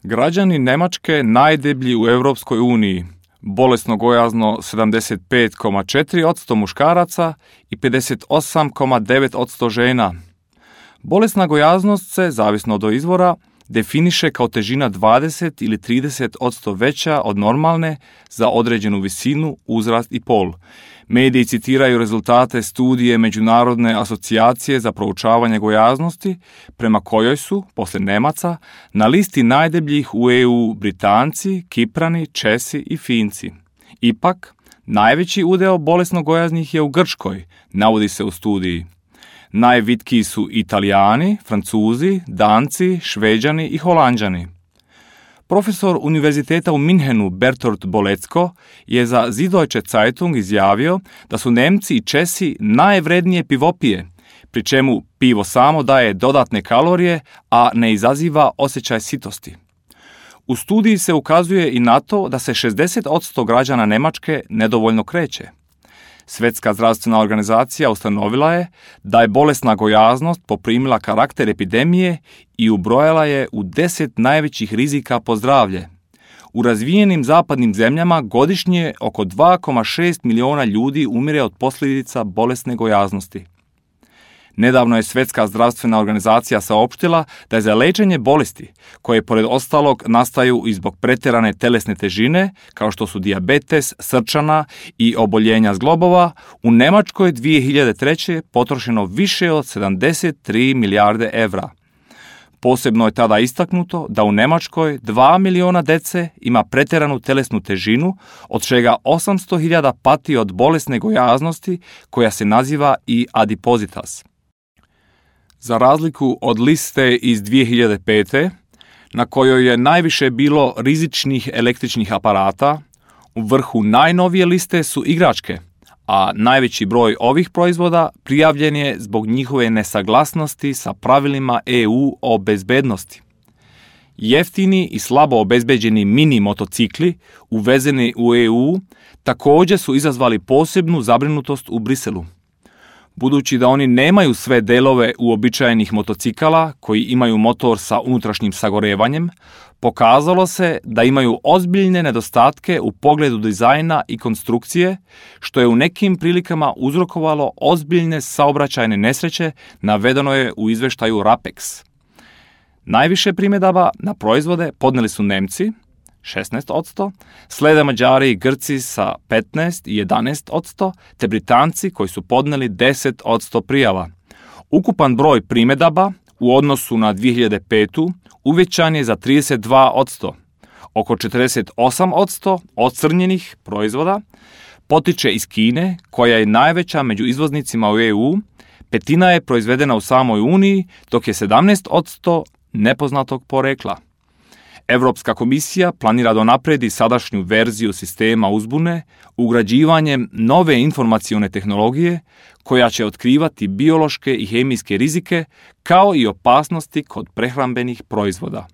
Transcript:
Građani Njemačke najdeblji u Europskoj uniji, bolesno gojazno 75,4% muškaraca i 58,9% žena. Bolesna gojaznost se, zavisno od izvora, definiše kao težina 20 ili 30% veća od normalne za određenu visinu, uzrast i pol. Mediji citiraju rezultate studije Međunarodne asocijacije za proučavanje gojaznosti, prema kojoj su, poslije Nemaca, na listi najdebljih u EU Britanci, Kiprani, Česi i Finci. Ipak, najveći udeo bolesno gojaznih je u Grčkoj, navodi se u studiji. Najvitkiji su Italijani, Francuzi, Danci, Šveđani i Holanđani. Profesor Univerziteta u Minhenu Bertolt Bolecko je za Süddeutsche Zeitung izjavio da su Nemci i Česi najvrednije pivopije, pri čemu pivo samo daje dodatne kalorije, a ne izaziva osjećaj sitosti. U studiji se ukazuje i na to da se 60% građana Njemačke nedovoljno kreće. Svjetska zdravstvena organizacija ustanovila je da je bolesna gojaznost poprimila karakter epidemije i ubrojala je u 10 najvećih rizika po zdravlje. U razvijenim zapadnim zemljama godišnje oko 2,6 miliona ljudi umire od posljedica bolesne gojaznosti. Nedavno je Svjetska zdravstvena organizacija saopštila da je za liječenje bolesti, koje pored ostalog nastaju i zbog pretjerane tjelesne težine, kao što su dijabetes, srčana i oboljenja zglobova, u Njemačkoj 2003. potrošeno više od 73 milijarde evra. Posebno je tada istaknuto da u Njemačkoj 2 miliona dece ima pretjeranu tjelesnu težinu, od čega 800.000 pati od bolesne gojaznosti koja se naziva i adipositas. Za razliku od liste iz 2005. na kojoj je najviše bilo rizičnih električnih aparata, u vrhu najnovije liste su igračke, a najveći broj ovih proizvoda prijavljen je zbog njihove nesaglasnosti sa pravilima EU o bezbednosti. Jeftini i slabo obezbeđeni mini motocikli uvezeni u EU također su izazvali posebnu zabrinutost u Briselu. Budući da oni nemaju sve delove uobičajenih motocikala koji imaju motor sa unutrašnjim sagorevanjem, pokazalo se da imaju ozbiljne nedostatke u pogledu dizajna i konstrukcije, što je u nekim prilikama uzrokovalo ozbiljne saobraćajne nesreće, navedeno je u izveštaju RAPEX. Najviše primjedaba na proizvode podnijeli su Nemci, 16%, slijede Mađari i Grci sa 15 i 11%, te Britanci koji su podnijeli 10% prijava. Ukupan broj primjedaba u odnosu na 2005. uvećan je za 32%. Oko 48% ocrnjenih proizvoda potiče iz Kine, koja je najveća među izvoznicima u EU, petina je proizvedena u samoj Uniji, dok je 17% nepoznatog porekla. Europska komisija planira da unaprijedi sadašnju verziju sistema uzbune ugrađivanjem nove informacione tehnologije koja će otkrivati biološke i hemijske rizike kao i opasnosti kod prehrambenih proizvoda.